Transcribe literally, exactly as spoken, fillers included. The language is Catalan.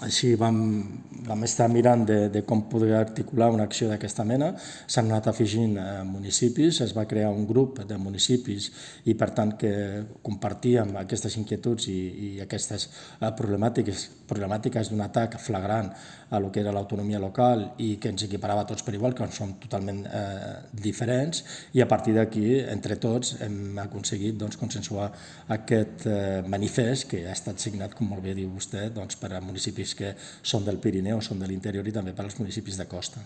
Així vam, vam estar mirant de, de com poder articular una acció d'aquesta mena. S'han anat afegint eh, municipis, es va crear un grup de municipis i per tant que compartíem aquestes inquietuds i, i aquestes eh, problemàtiques, problemàtiques d'un atac flagrant a lo que era l'autonomia local i que ens equiparava tots per igual, que som totalment eh, diferents, i a partir d'aquí, entre tots, hem aconseguit doncs, consensuar aquest eh, manifest que ha estat signat, com molt bé diu vostè, doncs, per a municipis que són del Pirineu, són de l'interior i també per als municipis de costa.